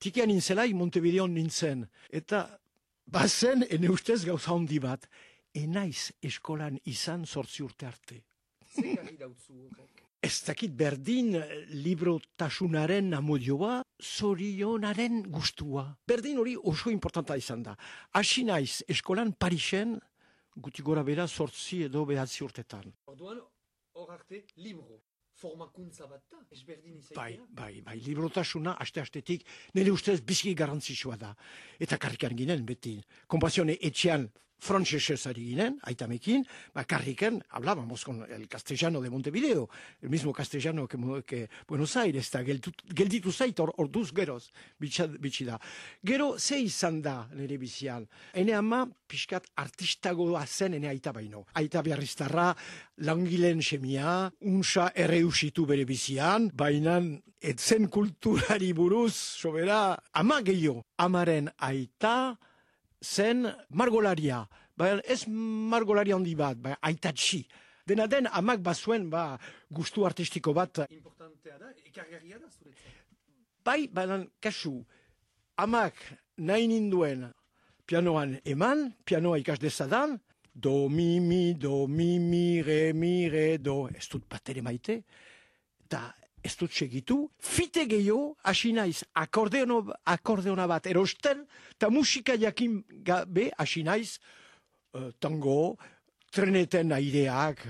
Tikian nintzelaik Montevideon nintzen. Eta bazen, ene ustez gauza handi bat, enaiz eskolan izan 8 urte arte. Zer gari dautzu horrek? Ez dakit berdin librotasunaren amodioa, zorionaren gustua. Berdin hori oso importanta izan da. Hasi naiz eskolan Parisen, guti gora bera 8 edo 9 urtetan. Orduan, hor arte, libro. Formakuntza bat da, ezberdin izaitea. Bai, librotasuna, aste-astetik, nire ustez bizki garrantzitsua da. Eta karrikan ginen, beti. Konpazione etxean frantsesez ari ginen, aitamekin, karrikan, hablábamos con el castellano de Montevideo, el mismo castellano que Buenos Aires, eta gelditu zait orduz geroz, bitxi da. Gero, ze izan da nire bizian? Ene ama, pixkat artistagoa zen ene aita baino. Aita beharriztarra, langileen semia, unsa erreusitu bere bizian, bainan etzen kulturari buruz, sobera, ama gehiago. Amaren aita zen margolaria. Ez margolaria handi bat, aitatxi. Dena den, amak bazuen gustu artistiko bat. Importantea da, ekargarria da zuretzat. Baina kasu, amak nahi ninduen pianoan eman, pianoa ikas dezadan, do, mi, re, do, ez dut bat ere maite, eta ez dut segitu, fite gehiago, hasi naiz akordeona bat erosten, eta musika jakin gabe hasi naiz tango, treneten aireak,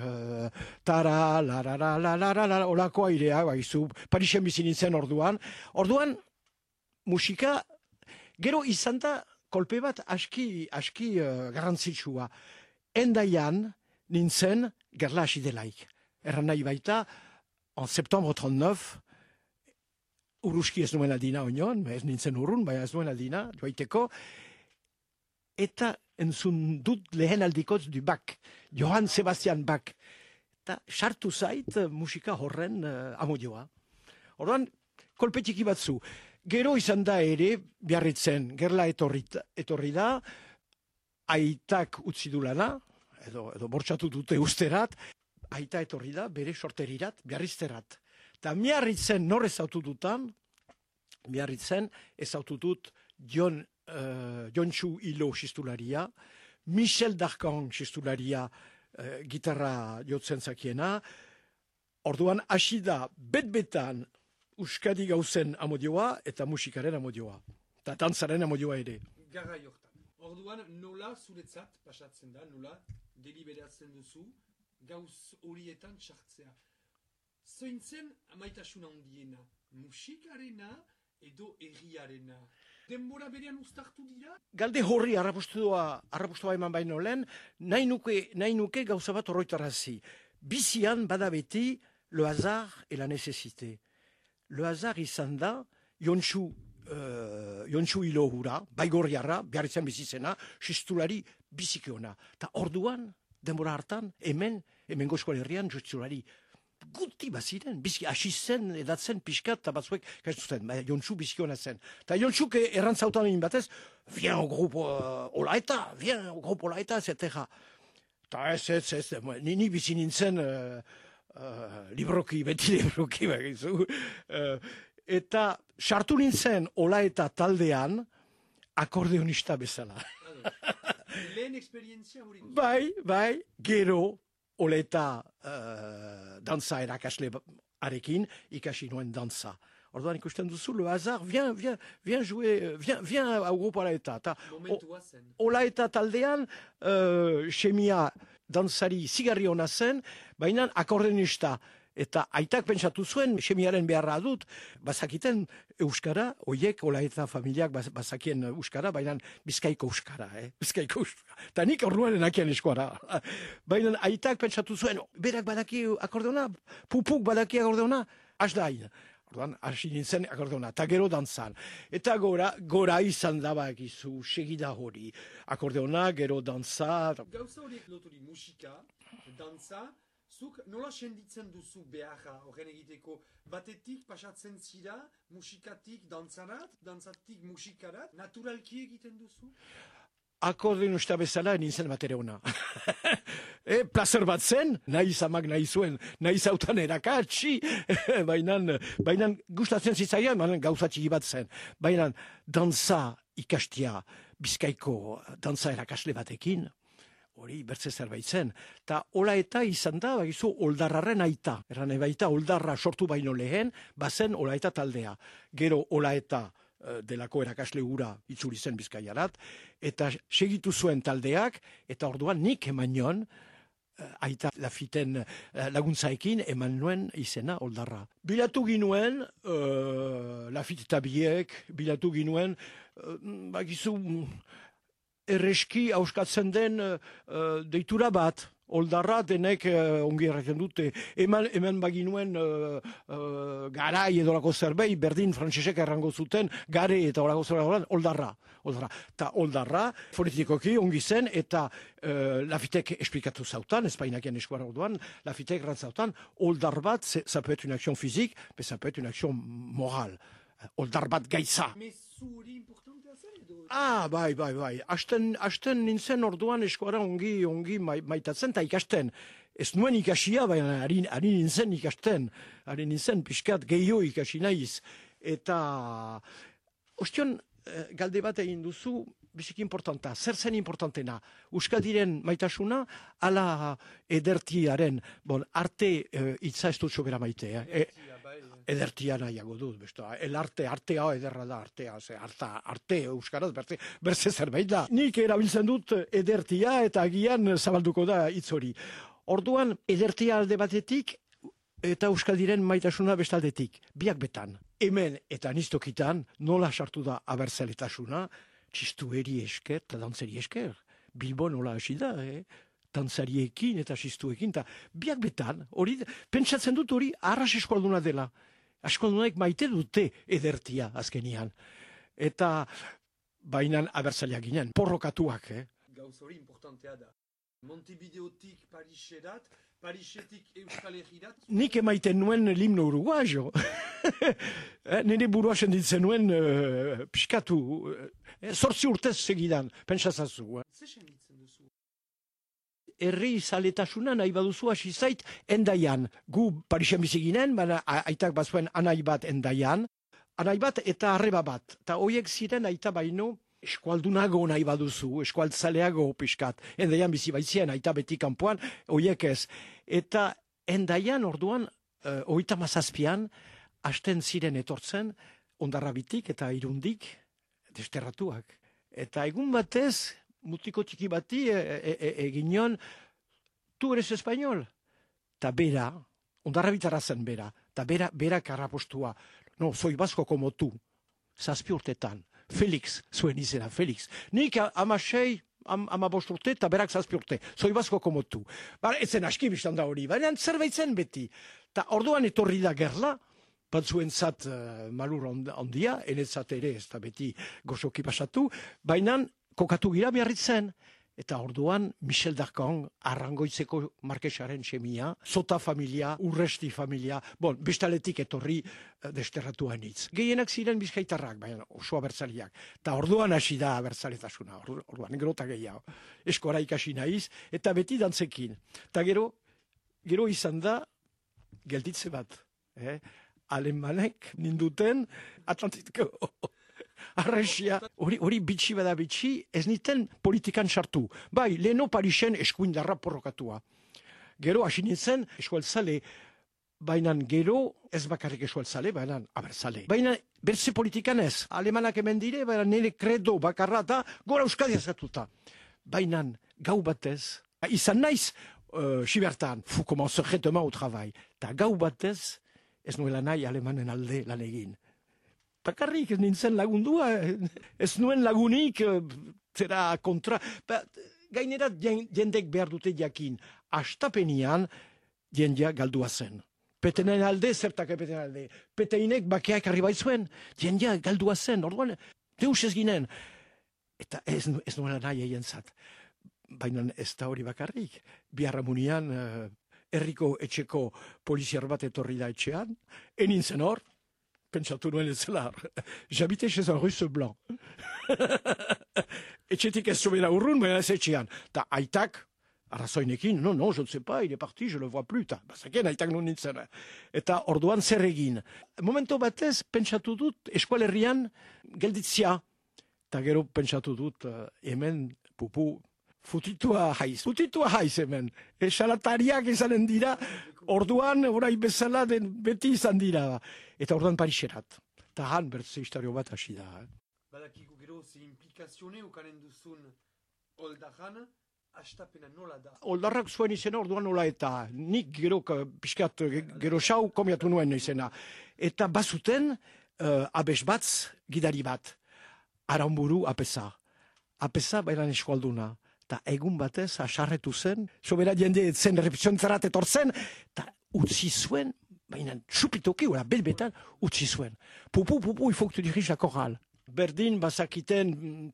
tara, la, olako aireak, baizu, Parisen bizi nintzen orduan. Orduan, musika, gero izan da kolpe bat aski garrantzitsua. Endaian nintzen gerla hasi delaik. Erran nahi baita, en septembre 39, uruski ez nuen aldina oinon, ez nintzen urrun, baina ez nuen aldina, joaiteko, eta entzun dut lehen aldikotz du Bach, Johann Sebastian Bach. Eta sartu zait musika horren amodioa. Orduan, kolpetiki batzu. Gero izan da ere, Biarritzen, gerla etorri da, aitak utzi du lana, edo bortxatu dute usterat, aita etorri da, bere sorterirat, Biarrizterat. Eta Miarritzen nor ezautu dutan, Miarritzen ezautu dut Jontxu Hilo xistularia, Michel Darkan xistularia gitarra jotzen zakiena. Orduan hasi da bet-betan Euskadi gauzen amodioa eta musikaren amodioa. Eta dantzaren amodioa ere. Garra jortan. Orduan nola zuretzat pasatzen da, nola deliberatzen duzu gauz horietan txartzea. Zointzen amaitasuna handiena, musikarena edo erriarena. Denbora berean uztartu dira? Galde horri arrapustua eman baino lehen, nahi nuke gauza bat horroitarazi. Bizian bada beti le hasard et la nécessité. Le hasard izan da, Jontxu Hilo hura, baigorriarra, Biarritzen bizizena, xistulari bizikeona. Ta orduan, denbora hartan, hemen Goskoal Herrian, xistulari guti baziren, bizki hasi zen, edatzen pixkat, eta batzuek, kaiztuten, Jontxu bizkiona zen. Eta Jontxuk errantzautan egin batez, vien au grupo Olaeta, etc. Eta ez, ni bizi nintzen beti libroki, bagizu. Eta sartu nintzen Olaeta taldean, akordeonista bezala. Lehen eksperientzia hori? Bai, gero, Oleta dantza erakasle arekin ikasi nuen dantza. Orduan ikusten duzu, le hasard, viens jouer, viens au groupe Olaeta. Momentua zen. Olaeta taldean, semia dantzari zigarri hona zen, baina akordeonista. Eta aitak pentsatu zuen, semiaren beharra dut, bazakiten euskara, oiek Olaeta familiak bazakien euskara, baina bizkaiko euskara, bizkaiko euskara. Eta nik orduan enakian eskuara. Baina aitak pentsatu zuen, berak badaki akordeona, pupuk badaki akordeona, asdain. Orduan, hasi nintzen akordeona, eta gero dantzan. Eta gora izan dabakizu, segida hori. Akordeona, gero dantza. Gauza horiek loturi musika, dantza, zuk nola senditzen duzu beharra horren egiteko? Batetik pasatzen zira musikatik dantzarat, dantzatik musikarat, naturalki egiten duzu? akordeonista bezala nintzen batere ona. Plazer bat zen, nahi zamak nahi zuen, nahi zautan erakatsi, baina gustatzen zitzaian, gauza txiki bat zen. Baina dantza ikastia, Bizkaiko dantza erakasle batekin, hori bertze zerbait zen. Ta hola eta izan da, bagizu, oldarraren aita. Erran baita, oldarra sortu baino lehen, bazen hola eta taldea. Gero hola eta delako erakasle gura itzuri zen Bizkaiarat, eta segitu zuen taldeak, eta orduan nik eman nion, aita Lafiten laguntzaekin eman nuen izena oldarra. Bilatu ginuen, Lafit eta biek, bilatu ginuen, bagizu, erreski hauskatzen den deitura bat. Oldarra denek ongi erraten dute. Hemen baginuen garai edolako zerbait, berdin frantsesek errango zuten, gare eta olako zerbait, oldarra. Ta oldarra, fonetikoki ongi zen, eta Lafitek esplikatu zautan, espainakian eskuara orduan, Lafitek rantzautan, oldar bat, ça peut être une action physique, mais ça peut être une action morale. Oldar bat gaitza. Bai. Asten nintzen orduan eskuara ongi maitatzen eta ikasten. Ez nuen ikasia, baina ari nintzen ikasten. Ari nintzen pixkat gehiago ikasi naiz. Eta ostion galde bat egin duzu biziki importanta. Zer zen importantena? Euskadiren maitasuna ala edertiaren, arte hitza ez dut sobera maitea. Edertia nahiago dut, artea ederra da, arte euskaraz, berze zerbait da. Nik erabiltzen dut edertia eta agian zabalduko da hitz hori. Orduan, edertia alde batetik eta Euskadiren maitasuna bestaldetik, biak betan. Hemen eta niztokitan nola sartu da abertzaletasuna, txistueri esker eta dantzeri esker. Bilbo nola hasi da, dantzariekin eta txistuekin, eta biak betan, hori, pentsatzen dut hori arras eskualduna dela. Eskualdunak maite dute edertia azkenian. Eta bainan abertzaleak ginen, porrokatuak. Gauz hori importantea da. Montevideotik Pariserat, Parisetik Euskal Herrirat. Nik emaiten nuen limno uruguayo. Nire burua senditzen nuen piskatu. 8 urtez segidan, pentsazazu. Ze senditzen duzu? Herri zaletasuna nahi baduzu hasi zait Endaian. Gu Parisen bizi ginen, baina aitak bazuen anai bat Endaian. Anai bat eta arreba bat. Eta horiek ziren aita baino eskualdunago nahi baduzu, eskualtzaleago piskat. Endaian bizi baitzien aita beti kanpoan, horiek ez. Eta Endaian orduan, 37an, hasten ziren etortzen, Hondarrabitik eta Irundik desterratuak. Eta egun batez, mutiko txiki bati eginion, tu eres espainol? Ta bera, Hondarrabitara zen bera, ta bera karrapostua. No, soy vasco como tu. 7 urtetan. Felix, zuen izena, Felix. Nik 15 urte eta berak 7 urte. Soy vasco como tu. Etzen aski biztan da hori, baina zerbait zen beti. Ta orduan etorri da gerla, batzuentzat malur ondia, enetzat ere ez da beti gozoki pasatu, baina kokatu gira Biarritzen, eta orduan Michel Darcon, Arrangoitzeko markesaren semia, Zota familia, Urresti familia, bestaletik etorri desterratuan hitz. Gehienak ziren bizkaitarrak, baina oso abertzaliak. Eta orduan hasi da abertzaletasuna, orduan gerota gehiago. Eskora ikasi naiz, eta beti dantzekin. Eta gero izan da, gelditze bat. Alemanek ninduten Atlantiko arresia. Hori bitxi bada bitxi, ez niten politikan sartu. Bai, leheno Parisen eskuindarra porrokatua. Gero hasi nintzen eskualtzale, baina gero ez bakarrik eskualtzale, baina abertzale. Baina berze politikan ez. Alemanak hemen dire, baina nire kredo bakarra da, gora Euskadi azatuta. Baina gau batez, izan naiz, Sibertan, fu commencer demain au travail. Ta gau batez, ez nuela nahi alemanen alde lan egin. Bakarrik ez nintzen lagundua, ez nuen lagunik, zera kontra. Gainera jendek behar dute jakin. Astapenian jendea galdua zen. Petenen alde, zertak petenen alde. Peteinek bakeak arribai zuen, jendea galdua zen. Orduan, deus ez ginen. Eta ez nuela nahi egin zat. Baina ez da hori bakarrik. Biarramunian herriko etxeko poliziar bat etorri da etxean, enintzen hor, pentsatu nuen ez zela, j'habitais chez un russe blanc. etxetik ez zobera urrun, baina ez etxean. Ta aitak, arrazoinekin, non, je ne sais pas, il est parti, je le vois plus, ta, bazakien aitak non nintzen. Eta orduan zer egin. Momento batez, pentsatu dut, eskualerrian gelditzia. Ta gero pentsatu dut, hemen, pupu, Futitua haiz hemen. Esalatariak izanen dira, orduan, orai bezala beti izan dira. Eta orduan Pariserat. Eta han bertze historio bat hasi da. Badakigu gero, ze implikazione ukanen duzun oldarran, astapena nola da? Oldarrak zuen izena orduan nola eta nik gero pixkat gero xau komiatu nuen izena. Eta bazuten abes batz gidari bat. Aranburu apesa. Apesa bailan eskualduna. Eta egun batez, asarretu zen, sobera jende zen repiziontzarat etortzen, eta utzi zuen, baina txupitoki, belbetan, utzi zuen. Pupu, il faut que tu diriges la chorale. Berdin, bazakiten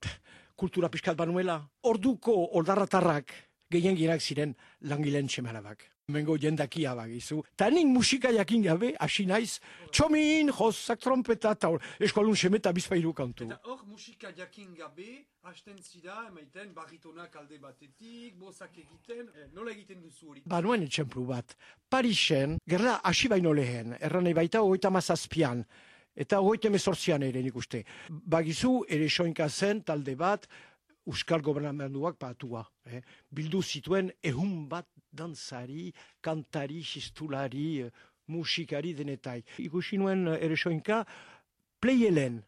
kultura pixkat banuela. Orduko oldarratarrak gehien girak ziren langileen txemarabak. Mengo jendakia bagizu. Ta nik musika jakin gabe, hasi naiz, txomin, josak, trompeta, eta eskualun semeta bizpairu kantu. Eta hor musika jakin gabe, hasten zira, emaiten, barritonak alde batetik, bozak egiten, nola egiten duzu hori? Banuen etxemplu bat. Parisen, gerla hasi baino lehen, erranei baita 37an, eta 38an ere nik uste. Bagizu, ere soinka zen talde bat, Euskal Gobernamenduak patua. Bildu zituen bat dantzari, kantari, xistulari, musikari denetai. Ikusi nuen ere soinka, pleielen,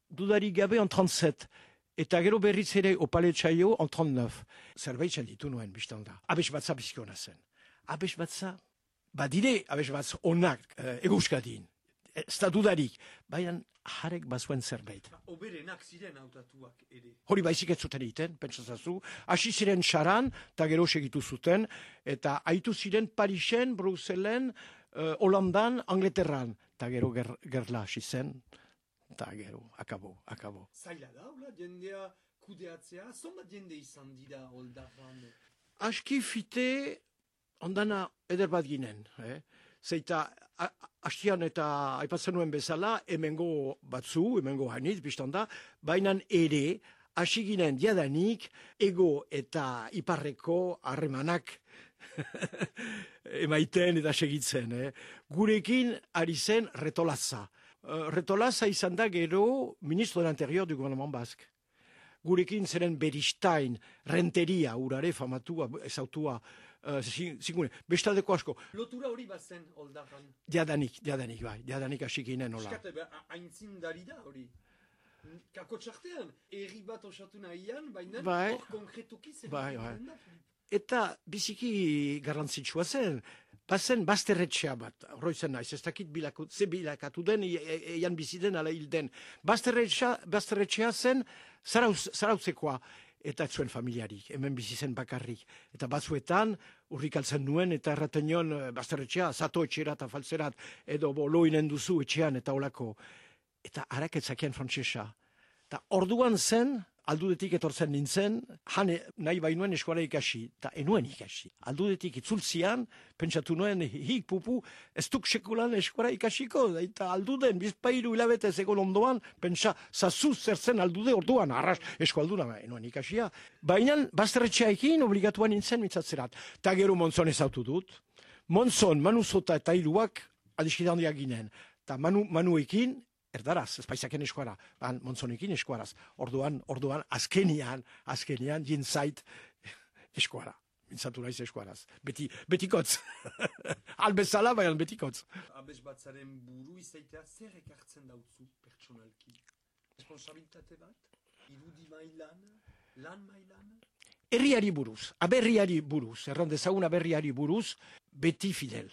dudari gabe en 37, eta gero berriz ere opale txaio en 39. Zerbait ditu nuen biztan da. Abes batza bizkiona zen. Abes batza, badire abes batz onak eguzkadin. Ez da dudarik, baina jarek bazuen zerbait. Oberenak ziren hautatuak ere. Hori baizik ez zuten egiten, pentsazazu. Hasi ziren xaran, eta gero segitu zuten, eta haitu ziren Parisen, Bruselen, Holandan, Angleterran. Eta gero gerla hasi zen, eta gero, akabo. Zaila da, hola, jendea kudeatzea, zonbat jende izan dira oldarran? Aski fite, ondana eder bat ginen. Zeita, hastian eta aipatzen nuen bezala, hemengo batzu, hemengo hanitz, biztanda, baina ere, hasi ginen jadanik, ego eta iparreko harremanak emaiten eta segitzen. Gurekin ari zen Retolaza. Retolaza izan da gero ministro del Interior du Gouvernement Basque. Gurekin zeren Beristain, Renteria, urare famatua, ezautua, zingune, bestaldeko asko. Lotura hori bazen oldarran? Jadanik hasi ginen hola. Eskate, aintzindari da hori. Kako txartean, erri bat osatu nahian, baina hor konkretuki zer egiten da. Eta biziki garrantzitsua zen, bazen bazterretxea bat, horroizen naiz, ez dakit ze bilakatu den, eian biziden ala hilden. Bazterretxea zen zarautzekoa, eta ez zuen familiarik, hemen bizi zen bakarrik. Eta batzuetan, urrikaltzen nuen, eta erraten nion bazterretxea, zato etxerat, afaltzerat, edo loinen duzu etxean, eta olako. Eta haraketzakian frantsesa. Eta orduan zen, aldudetik etortzen nintzen, jane nahi bainuen eskuala ikasi, eta enuen ikasi. Aldudetik itzultzian, pentsatu nuen, hik pupu, ez duk sekulan eskuala ikasiko, eta alduden, bizpairu hilabete egon ondoan, pentsa, zazu zertzen aldude orduan, arras eskualduna, enuen ikasia. Baina, bazterretxeaekin obligatuan nintzen mitzatzerat. Ta gero Monzon ezautu dut. Monzon, Manuzota eta hiruak adiskidandiak ginen. Ta Manuekin, erdaraz, ez paizaken eskuara, Monzonekin eskuaraz. Orduan, azkenian, jintzait eskuara. Mintzatu naiz eskuaraz. Betikotz. Albezala, baina betikotz. Abes batzaren buru izaitea zer ekartzen dautzu pertsonalki? Responsabilitate bat? Irudi mailan? Lan mailan? Herriari buruz, aberriari buruz, errandezaguna aberriari buruz, beti fidel.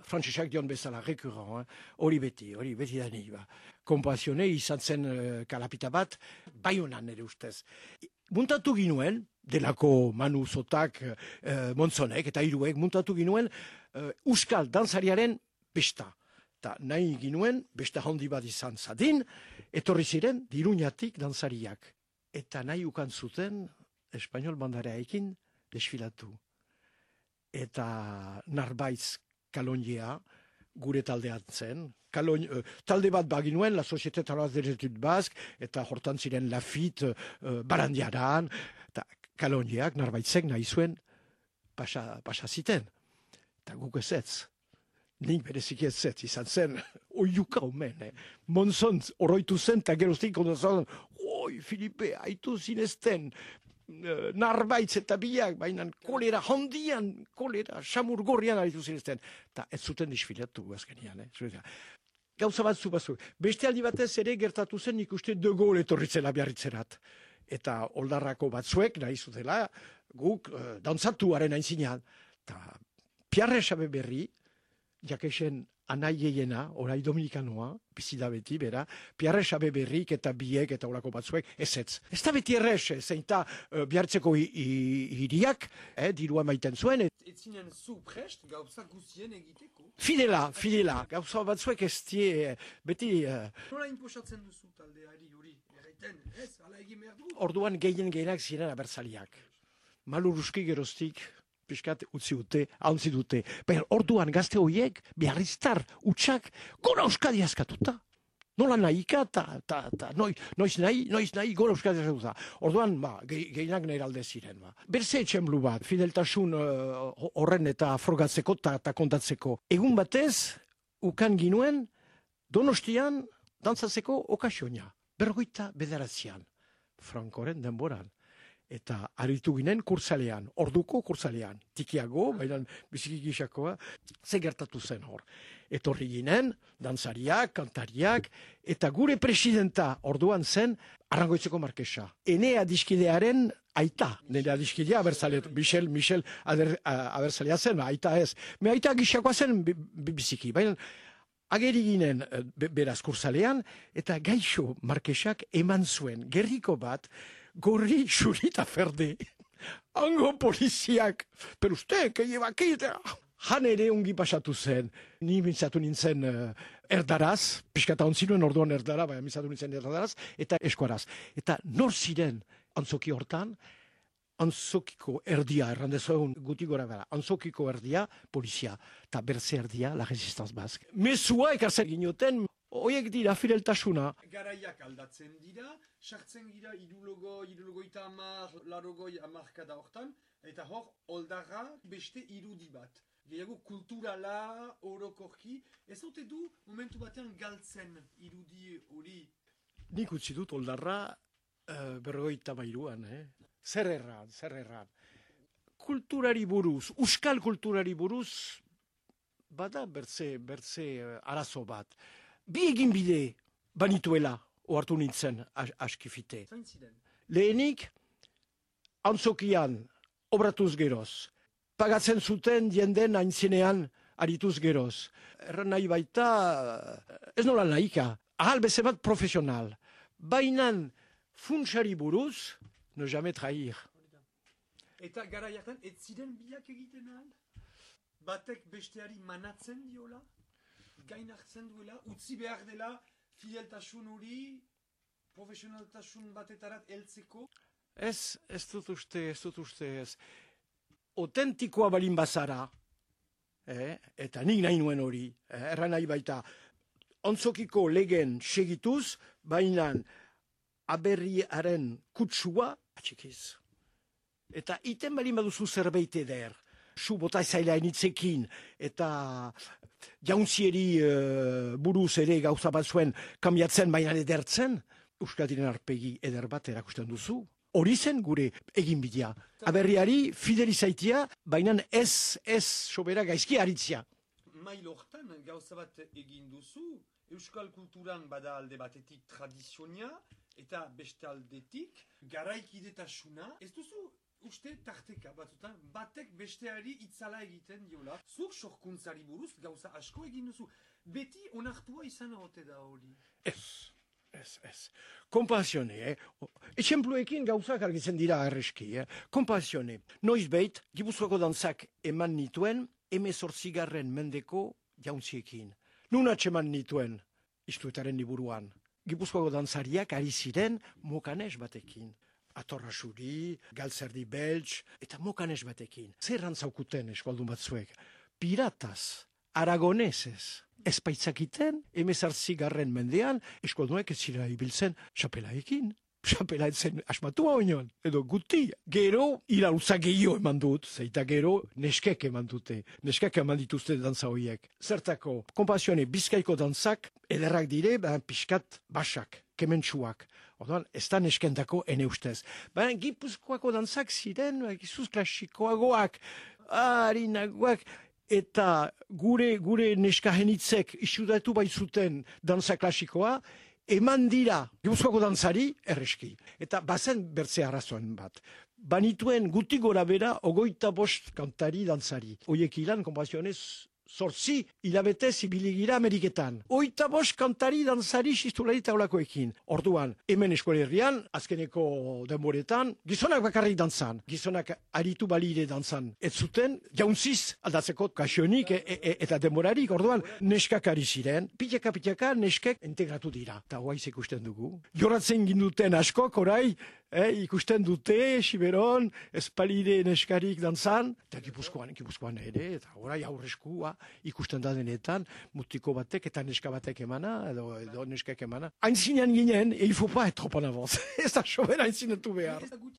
Frantsesak dion bezala, rekurrent, hori beti da nahi ba. Kompazione izan zen kalapita bat, Baionan ere ustez. Muntatu ginuen, delako Manu Zotak, Monzonek eta hiruek, muntatu ginuen Euskal dantzariaren besta. Ta nahi ginuen, besta handi bat izan zadin, etorri ziren Diruñatik dantzariak. Eta nahi ukan zuten, Espainol bandareaekin desfilatu. Eta Narbaitz Kalonjea, gure taldean zen. Talde bat baginuen, la Société Travailleuse des Études Basques, eta hortan ziren Lafitte, Barandiaran, eta Kaloniak, Narbaitzek nahi zuen pasa ziten. Eta guk ez. Nik bereziki ez izan zen, oiuka omen, Monzon oroitu zen, eta geroztik ondazan, oi, Filipe, haitu zinezten, Narbaitz eta biak, baina kolera handian, kolera, samur gorrian aritu zinezten. Eta ez zuten disfilatu azkenian, Gauza batzu. Beste aldi batez ere gertatu zen nik uste De Gaulle etorritzela Biarritzerat. Eta oldarrako batzuek nahi zutela guk dantzatuaren aintzinean. Eta Pierre Chabeberri, jakexen anaieiena, orai dominikanoa, bizida beti, bera, Pierre Chabeberrik eta biek eta olako batzuek, ez. Ez da beti errez, zeinta Biarritzeko hiriak, dirua maiten zuen. Ez zinen zu prest gauza guztien egiteko? Fidela, gauza batzuek ez die, beti... Nola inposatzen duzu taldeari hori? Erraiten, ez, ala egin behar du? Orduan gehienak ziren abertzaliak. Maluruski geroztik, piskat utzi dute, hauntzi dute. Baina orduan gazte horiek, Biarritztar, utxak, gora Euskadi askatuta. Nola nahika, noiz nahi, gora Euskadi askatuta. Orduan, gehienak nire alde ziren. Berze etxenblu bat, fideltasun horren eta frogatzeko eta kontatzeko. Egun batez, ukan ginuen, Donostian, dantzatzeko okasionia. 59 Frankoren denboran. Eta aritu ginen kurtzalean, orduko kurtzalean, tikiago, baina biziki gisakoa, ze gertatu zen hor. Etorri ginen, dantzariak, kantariak, eta gure presidenta orduan zen Arrangoitzeko Markesa. Ene adiskidearen aita, nire adiskidea abertzalea, Michel abertzalea zen, aita ez. Me aita gisakoa zen biziki, baina ageri ginen beraz kurtzalean, eta Gaixo Markesak eman zuen gerriko bat, gorri xurita ferde. Hango poliziak, per uste, que lleva aquí. Han ere ongi pasatu zen. Ni mintzatu nintzen erdaraz, pixkata ontzinuen orduan erdara, baina mintzatu nintzen erdaraz, eta eskuaraz. Eta nor ziren antzoki hortan, antzokiko erdia, errandezoen guti gora bera, antzokiko erdia, polizia, eta berze erdia, la resistance basque. Mesua ekartzen ginoten, hoiek dira fideltasuna. Garaiak aldatzen dira, sartzen gira irulogoita amar, larogoi amarkada hortan, eta hor, oldarra beste irudi bat. Gehiago kulturala, orokorki, ez ote du momentu batean galtzen irudi hori? Nik utzi dut oldarra 52an, Zer erran. Kulturari buruz, euskal kulturari buruz, bada bertze arazo bat. Bi egin bide banituela, ohartu nintzen askifite. Lehenik, antzokian, obratuz geroz. Pagatzen zuten jenden aintzinean arituz geroz. Erran nahi baita, ez nola nahika, ahal bezebat profesional. Bainan funtsari buruz, ne jamais trahir. Eta gara jartan, ez ziren biak egiten ahal? Batek besteari manatzen diola? Gain hartzen duela, utzi behar dela fideltasun hori, profesionaltasun batetarat heltzeko? Ez dut uste. Autentikoa balin bazara, eta nik nahi nuen hori, erran nahi baita, ontzokiko legen segituz, baina aberriaren kutsua atxikiz. Eta iten balin baduzu zerbait eder, zu bota zaila initzekin, eta jauntzieri buruz ere gauza bat zuen kambiatzen baina edertzen, Euskadiren arpegi eder bat erakusten duzu. Hori zen gure egin bidea. Aberriari fidelizaitia, baina ez sobera gaizki aritzia. Mail hortan gauza bat egin duzu, euskal kulturan bada alde batetik tradizionia, eta beste aldetik garaikidetasuna. Ez duzu uste tarteka batzutan, batek besteari itzala egiten diola. Zuk sorkuntzari buruz gauza asko egin duzu. Beti onartua izan ote da hori? Ez. Konpasione, Etxempluekin gauzak argitzen dira arreski, Konpasione. Noizbait, Gipuzkoako dantzak eman nituen, 18. mendeko jauntziekin. Nun atxeman nituen, istuetaren liburuan. Gipuzkoako dantzariak ari ziren mokanes batekin. Atorra Xuri, Galtzerdi Beltz, eta mokanes batekin. Zer rantzaukuten eskualdun batzuek? Pirataz aragonesez. Ez baitzakiten, 18. mendean, eskoldunek ez zira ibiltzen xapelaekin. Xapela etzen asmatua oinon, edo guti. Gero, iraultza gehiago eman dut, zeita gero, neskek eman dute. Neskek eman dituzte dantza horiek. Zertako, konpasione, Bizkaiko dantzak, ederrak dire, pixkat basak, kementsuak. Orduan, ez da neskendako ene ustez. Gipuzkoako dantzak ziren, gizuz klasikoagoak, harinagoak, eta gure neskahenitzek isudatu baitzuten dantza klasikoa, eman dira Gipuzkoako dantzari erreski. Eta bazen bertze arrazoen bat. Banituen guti gora bera 25 kantari dantzari. Oiek ilan, konpazionez, 8 hilabetez ibiligira Ameriketan. 25 kantari dantzari sistulari taulakoekin. Orduan, hemen eskolerrian, azkeneko denboretan, gizonak bakarrik dantzan. Gizonak aritu balire dantzan. Ez zuten, jauntziz aldatzeko kasionik eta denborarik. Orduan, neskak ari ziren. Pitaka neskek integratu dira. Eta hoaiz ikusten dugu. Joratzen ginduten askok, orai, ikusten dute, Siberon, espalide neskarik dantzan, eta Gipuzkoan ere, eta orai aurreskua ikusten da denetan, mutiko batek eta neska batek emana, edo neskak emana. Hain zinean ginen, il faut pas être trop en avance. Ez da sobera hain zinetu behar.